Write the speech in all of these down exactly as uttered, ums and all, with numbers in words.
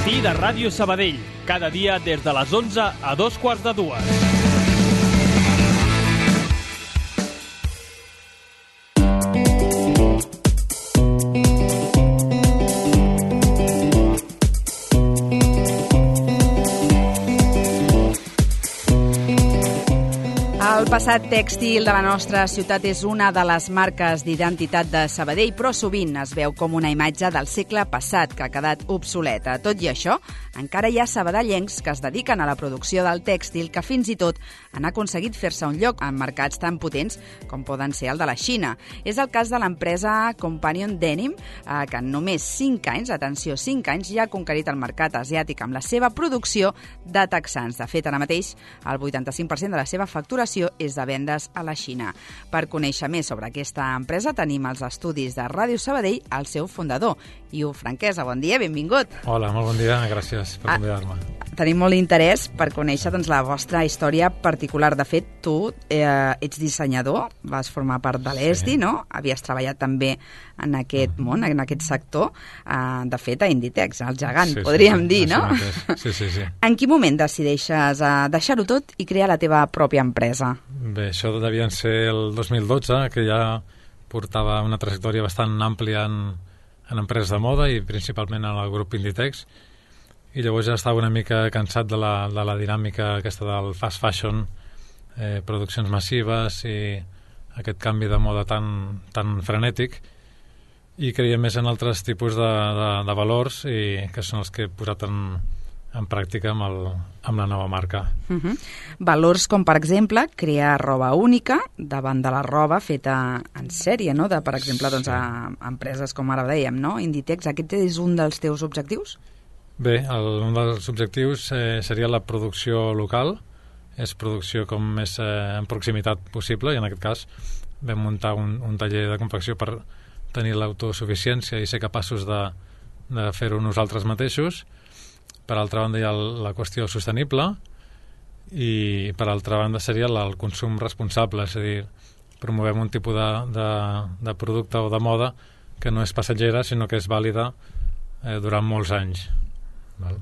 Matí de Ràdio Sabadell, cada dia des de les onze a dos quarts de dues. El passat tèxtil de la nostra ciutat és una de les marques d'identitat de Sabadell, però sovint es veu com una imatge del segle passat que ha quedat obsoleta. Tot i això, encara hi ha sabadellencs que es dediquen a la producció del tèxtil que fins i tot han aconseguit fer-se un lloc en mercats tan potents com poden ser el de la Xina. És el cas de l'empresa Companion Denim, eh, que en només cinc anys, atenció, cinc anys, ja ha conquerit el mercat asiàtic amb la seva producció de texans. De fet, ara mateix, el vuitanta-cinc per cent de la seva facturació és de vendes a la Xina. Per conèixer més sobre aquesta empresa tenim als estudis de Ràdio Sabadell el seu fundador, Iu Franquesa. Bon dia, benvingut. Hola, molt bon dia, gràcies per convidar-me. Ah, tenim molt interès per conèixer doncs, la vostra història particular. De fet, tu eh, ets dissenyador, vas formar part de l'E S D I, sí. No? Havies treballat també en aquest uh-huh. món, en aquest sector. Uh, de fet, a Inditex, el gegant, sí, podríem sí, dir, no? Sí, sí, sí. En quin moment decideixes uh, deixar-ho tot i crear la teva pròpia empresa? Bé, això devia ser el dos mil dotze, que ja portava una trajectòria bastant àmplia en, en empreses de moda i principalment en el grup Inditex, i llavors ja estava una mica cansat de la, de la dinàmica aquesta del fast fashion, eh, produccions massives i aquest canvi de moda tan, tan frenètic, i creia més en altres tipus de, de, de valors i que són els que he posat en, en pràctica amb, el, amb la nova marca. Uh-huh. Valors com, per exemple, crear roba única davant de la roba feta en sèrie, no? De, per exemple, doncs, a, a empreses com ara dèiem, no? Inditex, aquest és un dels teus objectius? Bé, el, un dels objectius eh, seria la producció local, és producció com més eh, en proximitat possible, i en aquest cas vam muntar un, un taller de confecció per tenir l'autosuficiència i ser capaços de, de fer-ho nosaltres mateixos. Per altra banda hi ha la qüestió sostenible i per altra banda seria el consum responsable, és a dir, promovem un tipus de, de, de producte o de moda que no és passatgera sinó que és vàlida eh, durant molts anys. Val?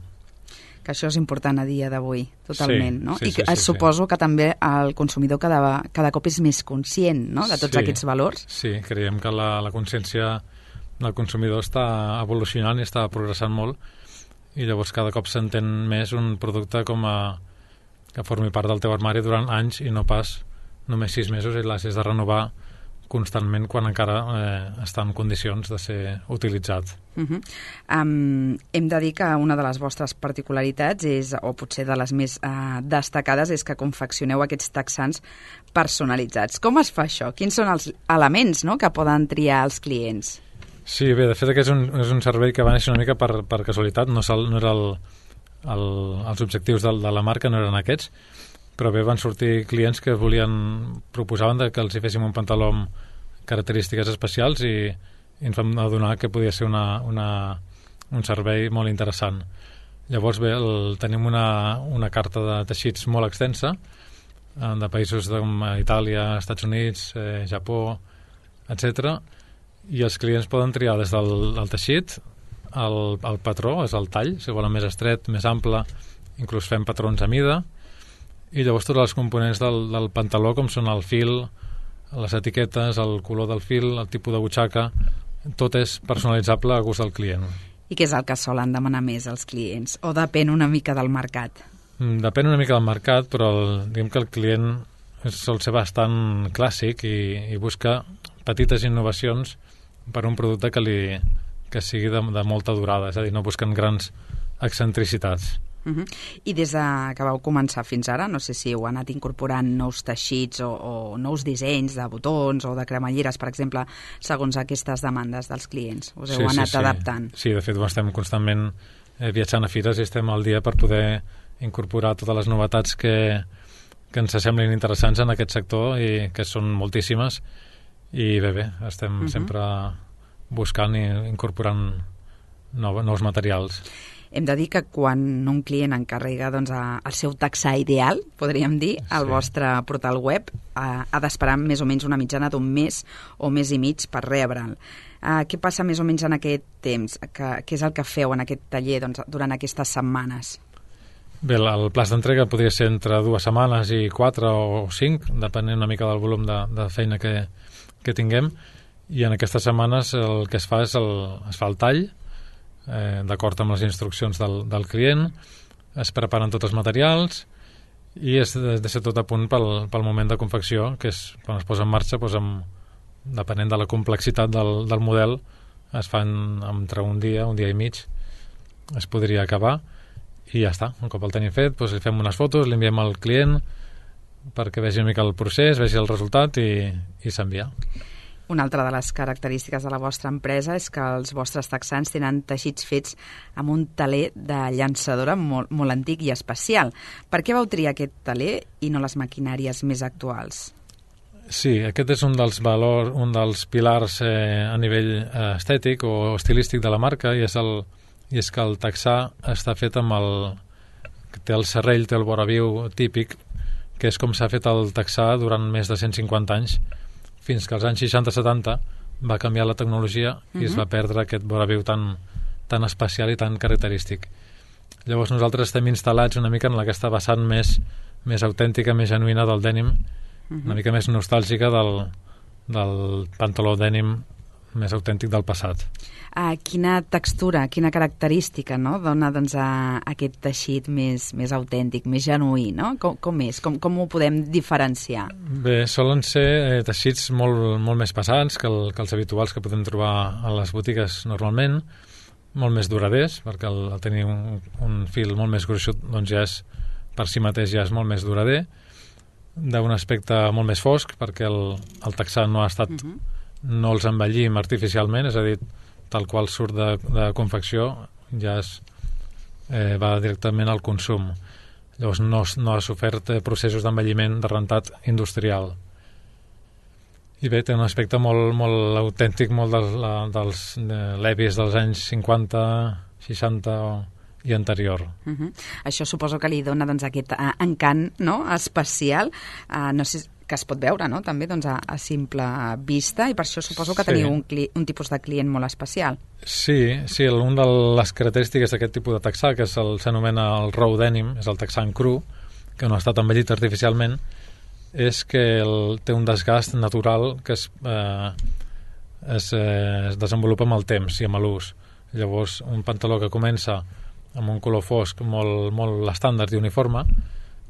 Que això és important a dia d'avui, totalment, sí, no? Sí, I sí, sí, suposo sí. que també el consumidor cada, cada cop és més conscient, no?, de tots sí, aquests valors. Sí, creiem que la, la consciència del consumidor està evolucionant i està progressant molt, i llavors cada cop s'entén més un producte com a que formi part del teu armari durant anys i no pas només sis mesos i l'has de renovar constantment quan encara eh, està en condicions de ser utilitzat. Uh-huh. Um, hem de dir que una de les vostres particularitats és, o potser de les més uh, destacades, és que confeccioneu aquests texans personalitzats. Com es fa això? Quins són els elements, no?, que poden triar els clients? Sí, bé, de fet aquest és un, és un servei que va néixer una mica per, per casualitat, no, no era el, el, els objectius de, de la marca, no eren aquests, però bé, van sortir clients que volien, proposaven de que els hi féssim un pantaló amb característiques especials i, i ens vam adonar que podia ser una, una, un servei molt interessant. Llavors bé, el, tenim una, una carta de teixits molt extensa, eh, de països com Itàlia, Estats Units, eh, Japó, etcètera, i els clients poden triar des del, del teixit, el, el patró, és el tall, si volen més estret, més ample, inclús fem patrons a mida, i llavors tots els components del, del pantaló, com són el fil, les etiquetes, el color del fil, el tipus de butxaca, tot és personalitzable a gust del client. I què és el que solen demanar més els clients? O depèn una mica del mercat? Depèn una mica del mercat, però el, diguem que el client sol ser bastant clàssic i, i busca petites innovacions per un producte que, li, que sigui de, de molta durada, és a dir, no busquen grans excentricitats. Uh-huh. I des de que vau començar fins ara, no sé si heu anat incorporant nous teixits o, o nous dissenys de botons o de cremalleres, per exemple, segons aquestes demandes dels clients. Us heu sí, anat sí, adaptant? Sí. sí, de fet estem constantment eh, viatjant a fires i estem al dia per poder incorporar totes les novetats que, que ens semblin interessants en aquest sector i que són moltíssimes i bé, bé, estem uh-huh. sempre buscant i incorporant nou, nous materials. Hem de dir que quan un client encarrega doncs, el seu taxar ideal, podríem dir, al Sí. vostre portal web, ha, ha d'esperar més o menys una mitjana d'un mes o mes i mig per rebre'l. Uh, què passa més o menys en aquest temps? Que, què és el que feu en aquest taller doncs, durant aquestes setmanes? Bé, el plaç d'entrega podria ser entre dues setmanes i quatre o cinc, depenent una mica del volum de, de feina que, que tinguem, i en aquestes setmanes el que es fa és el, es fa el tall, eh, d'acord amb les instruccions del, del client, es preparen tots els materials i es de ser tot a punt pel, pel moment de confecció, que és quan es posa en marxa, doncs amb, depenent de la complexitat del, del model, es fan entre un dia, un dia i mig, es podria acabar, i ja està. Un cop el tenim fet, doncs li fem unes fotos, li enviem al client perquè vegi una mica el procés, vegi el resultat i, i s'envia. Una altra de les característiques de la vostra empresa és que els vostres texans tenen teixits fets amb un teler de llançadora molt, molt antic i especial. Per què vau triar aquest teler i no les maquinàries més actuals? Sí, aquest és un dels valors, un dels pilars eh, a nivell eh, estètic o estilístic de la marca, i és, el, i és que el texà està fet amb el... té el serrell, té el voraviu típic, que és com s'ha fet el texà durant més de cent cinquanta anys, fins que als anys seixanta setanta va canviar la tecnologia uh-huh. i es va perdre aquest voraviu tan, tan especial i tan característic. Llavors nosaltres estem instal·lats una mica en aquesta vessant més, més autèntica, més genuïna del dènim, uh-huh. una mica més nostàlgica del, del pantaló dènim més autèntic del passat. Uh, quina textura, quina característica, no?, dona doncs, a, a aquest teixit més, més autèntic, més genuí, no? Com, com és? Com, com ho podem diferenciar? Bé, solen ser eh, teixits molt, molt més pesants que, el, que els habituals que podem trobar a les botigues normalment, molt més duraders, perquè el, el tenir un, un fil molt més gruixut doncs ja és, per si mateix ja és molt més durader, d'un aspecte molt més fosc, perquè el, el texà no ha estat... Uh-huh. no els envellim artificialment, és a dir, tal qual surt de, de confecció ja es, eh, va directament al consum. Llavors no, no ha sofert processos d'envelliment de rentat industrial. I bé, té un aspecte molt, molt autèntic, molt dels, dels levis dels anys cinquanta, seixanta i anterior. Uh-huh. Això suposo que li dona doncs, aquest uh, encant, no?, especial. Uh, no sé que es pot veure, no?, també doncs, a, a simple vista, i per això suposo que sí. teniu un, cli un tipus de client molt especial. Sí, sí, una de les característiques d'aquest tipus de texà, que s'anomena el raw denim, és el texà en cru, que no ha estat envellit artificialment, és que el, té un desgast natural que es, eh, es, eh, es desenvolupa amb el temps i amb l'ús. Llavors, un pantaló que comença amb un color fosc molt, molt estàndard i uniforme,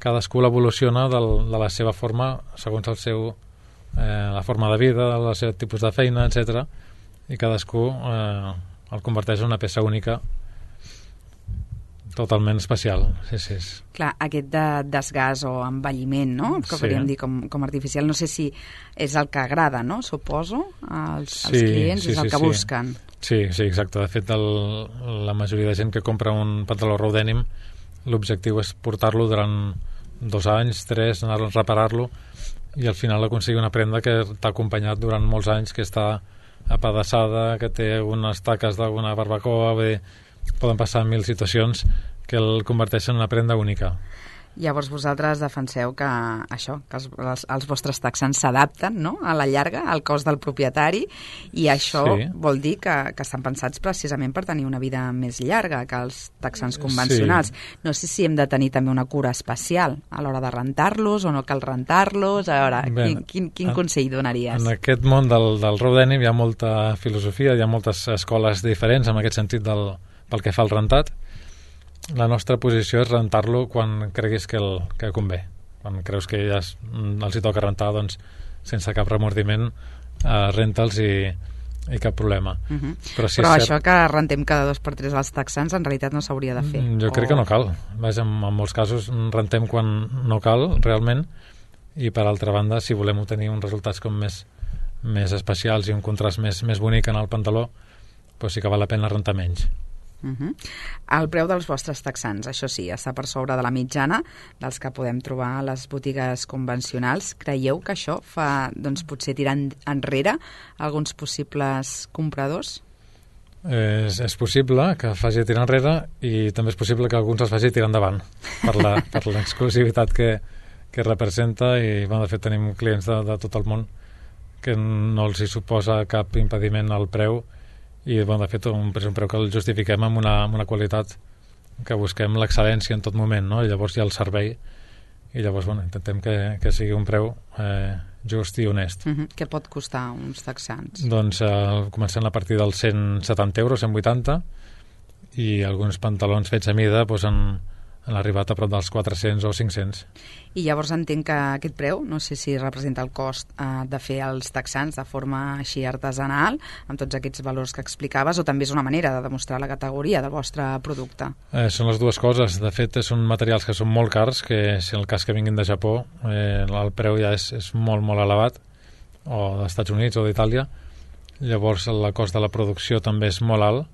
cadascú l'evoluciona de la seva forma segons el seu, eh, la forma de vida, el seu tipus de feina, etcètera, i cadascú eh, el converteix en una peça única totalment especial. Sí, sí. Clar, aquest de desgast o envelliment, no?, que sí. podríem dir com, com artificial, no sé si és el que agrada, no?, suposo, als, sí, als clients, sí, és el sí, que sí. busquen. Sí, sí, exacte. De fet, el, la majoria de gent que compra un pantaló raw denim, l'objectiu és portar-lo durant dos anys, tres, anar a reparar-lo, i al final aconseguir una prenda que t'ha acompanyat durant molts anys, que està apedaçada, que té unes taques d'alguna barbacoa, bé, poden passar mil situacions que el converteixen en una prenda única. Llavors vosaltres defenseu que això, que els, els, els vostres texans s'adapten, no?, a la llarga, al cos del propietari, i això sí. vol dir que, que estan pensats precisament per tenir una vida més llarga que els texans convencionals. Sí. No sé si hem de tenir també una cura especial a l'hora de rentar-los o no cal rentar-los. A veure, Bé, quin, quin, quin en, consell donaries? En aquest món del, del raw denim hi ha molta filosofia, hi ha moltes escoles diferents en aquest sentit del, pel que fa al rentat. La nostra posició és rentar-lo quan creguis que, el, que convé. Quan creus que ja es, els hi toca rentar, doncs, sense cap remordiment, eh, renta'ls i, i cap problema. Uh-huh. Però, si Però és això cert, que rentem cada dos per tres als texans en realitat no s'hauria de fer. Jo crec o... que no cal. Vaja, en, en molts casos rentem quan no cal, realment, i per altra banda, si volem obtenir uns resultats com més, més especials i un contrast més, més bonic en el pantaló, doncs sí que val la pena rentar menys. Uh-huh. El preu dels vostres texans, això sí, està per sobre de la mitjana dels que podem trobar a les botigues convencionals. Creieu que això fa, doncs, potser tirar enrere alguns possibles compradors? És, és possible que faci tirar enrere i també és possible que alguns els faci tirar endavant per la, per l'exclusivitat que, que representa i, bueno, de fet tenim clients de, de tot el món que no els hi suposa cap impediment al preu i, bueno, de fet un, és un preu que el justifiquem amb una, amb una qualitat que busquem l'excel·lència en tot moment, no? I llavors hi ha el servei i llavors, bueno, intentem que, que sigui un preu eh, just i honest. Uh-huh. Què pot costar uns texans? Doncs eh, comencem a partir dels cent setanta euros, cent vuitanta, i alguns pantalons fets a mida doncs, han, han arribat a prop dels quatre-cents o cinc-cents. I llavors entenc que aquest preu, no sé si representa el cost eh, de fer els texans de forma així artesanal, amb tots aquests valors que explicaves, o també és una manera de demostrar la categoria del vostre producte? Eh, són les dues coses. De fet, són materials que són molt cars, que si en el cas que vinguin de Japó, eh, el preu ja és, és molt, molt elevat, o dels Estats Units o d'Itàlia. Llavors, el cost de la producció també és molt alt.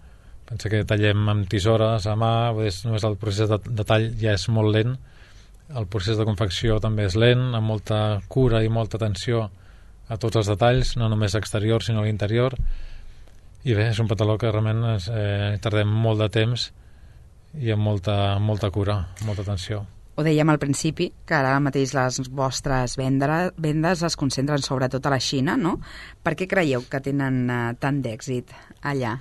Pensa que tallem amb tisores, a mà, és, només el procés de, de tall ja és molt lent. El procés de confecció també és lent, amb molta cura i molta atenció a tots els detalls, no només exterior sinó a l'interior. I bé, és un pantaló que realment es, eh, tardem molt de temps i amb molta, molta cura, molta atenció. Ho dèiem al principi, que ara mateix les vostres vendre, vendes es concentren sobretot a la Xina, no? Per què creieu que tenen eh, tant d'èxit allà?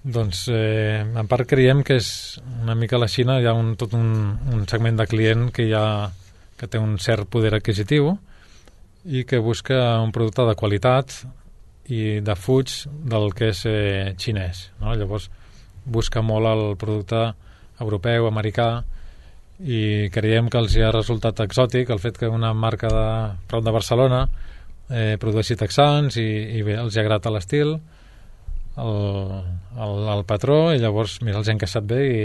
Doncs eh, en part creiem que és una mica a la Xina, hi ha un, tot un, un segment de client que, ha, que té un cert poder adquisitiu i que busca un producte de qualitat i de fuig del que és eh, xinès, no? Llavors busca molt el producte europeu, americà, i creiem que els hi ha resultat exòtic el fet que una marca de prop de Barcelona eh, produeixi texans i, i bé, els hi agrada l'estil, El, el, el patró, i llavors mira, els han encaixat bé i,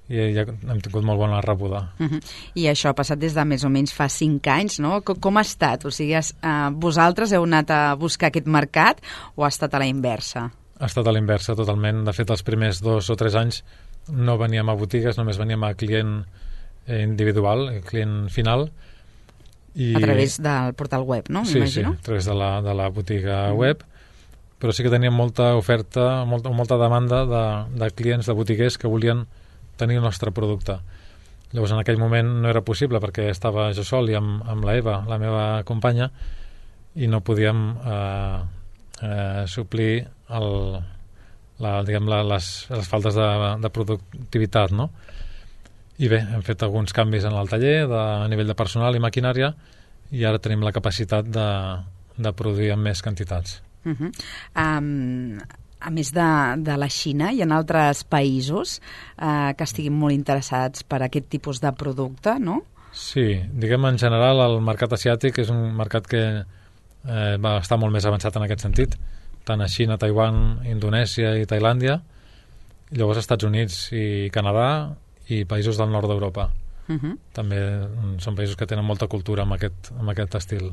i ja hem tingut molt bona rebuda. Uh-huh. I això ha passat des de més o menys fa cinc anys, no? Com, com ha estat? O sigui, has, uh, vosaltres heu anat a buscar aquest mercat o ha estat a la inversa? Ha estat a la inversa, totalment. De fet, els primers dos o tres anys no veníem a botigues, només veníem a client individual, client final. I... A través del portal web, no? Sí, sí, a través de la, de la botiga uh-huh. web. Però sí que teníem molta oferta, molta, molta demanda de, de clients, de botiguers que volien tenir el nostre producte. Llavors, en aquell moment no era possible perquè estava jo sol i amb, amb la Eva, la meva companya, i no podíem eh, eh, suplir el, la, diguem, la, les, les faltes de, de productivitat, no? I bé, hem fet alguns canvis en el taller de, a nivell de personal i maquinària i ara tenim la capacitat de, de produir en més quantitats. Uh-huh. Um, a més de, de la Xina, hi ha altres països uh, que estiguin molt interessats per aquest tipus de producte, no? Sí, diguem en general el mercat asiàtic és un mercat que eh, va estar molt més avançat en aquest sentit, tant a Xina, Taiwan, Indonèsia i Tailàndia, i llavors Estats Units i Canadà i països del nord d'Europa. Uh-huh. També són països que tenen molta cultura amb aquest, amb aquest estil.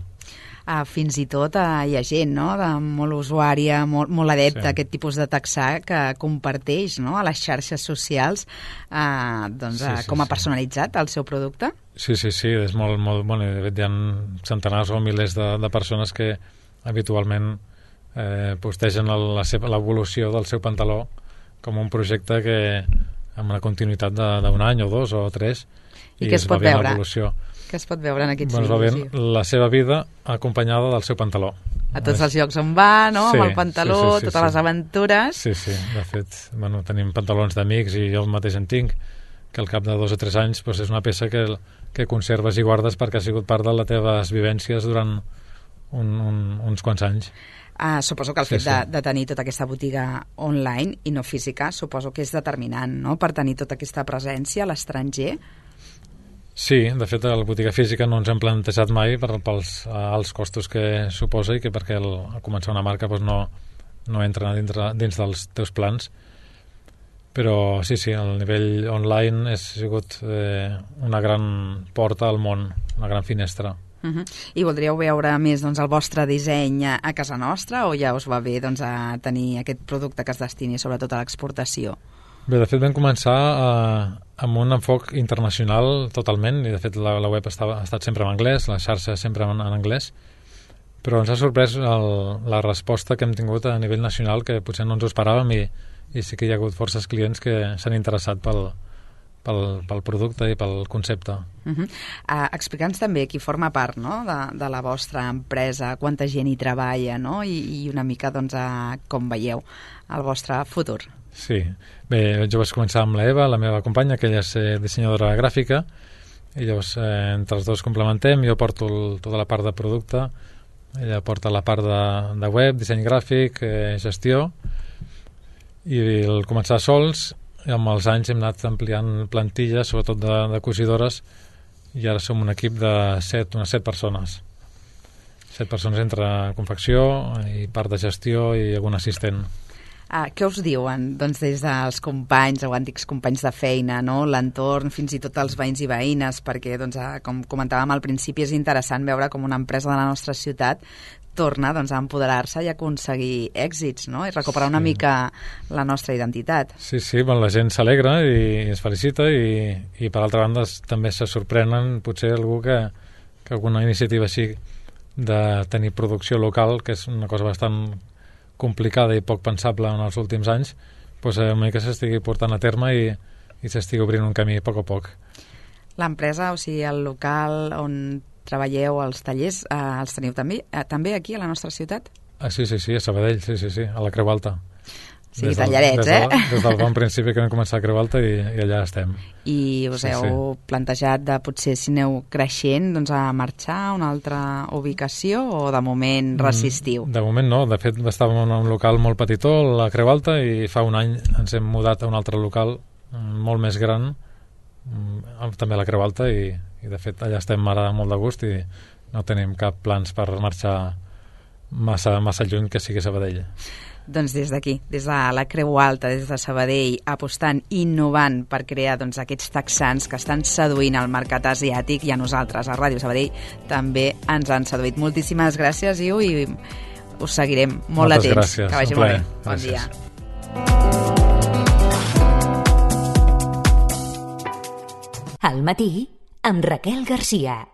Uh, fins i tot uh, hi ha gent, no?, de molt usuària, molt, molt adepta sí. a aquest tipus de texà que comparteix, no?, a les xarxes socials uh, doncs, sí, sí, uh, com a personalitzat el seu producte. Sí, sí, sí, és molt, molt bueno, de fet hi ha centenars o milers de, de persones que habitualment eh, postegen l'evolució del seu pantaló com un projecte que amb una continuïtat d'un any o dos o tres i, i què es pot veure? Què es pot veure en aquests doncs vídeos? Doncs la seva vida acompanyada del seu pantaló. A tots els llocs on va, no? Sí, amb el pantaló, sí, sí, sí, totes sí. les aventures. Sí, sí, de fet, bueno, tenim pantalons d'amics i jo mateix en tinc, que al cap de dos o tres anys doncs, és una peça que, que conserves i guardes perquè ha sigut part de les teves vivències durant un, un, uns quants anys. Uh, suposo que el sí, fet sí. De, de tenir tota aquesta botiga online i no física, suposo que és determinant, no?, per tenir tota aquesta presència a l'estranger. Sí, de fet, la botiga física no ens hem plantejat mai per, pels alts costos que suposa i que perquè el, a començar una marca doncs no, no entra dintre, dins dels teus plans. Però sí, sí, el nivell online ha sigut eh, una gran porta al món, una gran finestra. Uh-huh. I voldríeu veure més doncs, el vostre disseny a casa nostra o ja us va bé doncs, a tenir aquest producte que es destini sobretot a l'exportació? Bé, de fet vam començar eh, amb un enfoc internacional totalment i de fet la, la web estava, ha estat sempre en anglès, la xarxa sempre en, en anglès, però ens ha sorprès el, la resposta que hem tingut a nivell nacional, que potser no ens ho esperàvem, i, i sí que hi ha hagut forces clients que s'han interessat pel, pel, pel producte i pel concepte. Uh -huh. uh, Explica'ns també qui forma part, no?, de, de la vostra empresa, quanta gent hi treballa, no?, i, i una mica doncs, a com veieu el vostre futur. Sí, bé, jo vaig començar amb la Eva, la meva companya, que ella és eh, dissenyadora gràfica, i llavors eh, entre els dos complementem. Jo porto el, tota la part de producte, ella porta la part de, de web, disseny gràfic, eh, gestió, i el començar sols, i amb els anys hem anat ampliant plantilles, sobretot de, de cosidores, i ara som un equip de set, unes set persones. Set persones entre confecció i part de gestió i algun assistent. Ah, què us diuen doncs, des dels companys o antics companys de feina, no? L'entorn, fins i tot els veïns i veïnes, perquè, doncs, com comentàvem al principi, és interessant veure com una empresa de la nostra ciutat torna doncs, a empoderar-se i aconseguir èxits, no?, i recuperar una sí. mica la nostra identitat. Sí, sí, bon, la gent s'alegra i es felicita, i, i per altra banda també se sorprenen potser algú que, que alguna iniciativa així de tenir producció local, que és una cosa bastant complicada i poc pensable en els últims anys, doncs a mi que s'estigui portant a terme i, i s'estigui obrint un camí a poc a poc. L'empresa, o sigui, el local on treballeu, els tallers, eh, els teniu també, eh, també aquí a la nostra ciutat? Ah, sí, sí, sí, a Sabadell, sí, sí, sí, a la Creu Alta. Sí, des tallarets, del, eh? Des, de, des del bon principi que vam començar a Creu Alta i, i allà estem. I us sí, heu sí. plantejat de potser, si aneu creixent, doncs a marxar a una altra ubicació o de moment resistiu? De moment no, de fet estàvem en un local molt petitó, a la Creu Alta, i fa un any ens hem mudat a un altre local molt més gran, també a la Creu Alta, i, i de fet allà estem ara molt de gust i no tenim cap plans per marxar massa, massa lluny que sigui Sabadell. Doncs des d'aquí, des de la Creu Alta, des de Sabadell, apostant, innovant per crear doncs, aquests texans que estan seduint el mercat asiàtic, i a nosaltres, a Ràdio Sabadell, també ens han seduït. Moltíssimes gràcies, Iu, i us seguirem molt Moltes atents. Gràcies, que vagi molt bé. Bon gràcies. dia. Al matí, amb Raquel Garcia.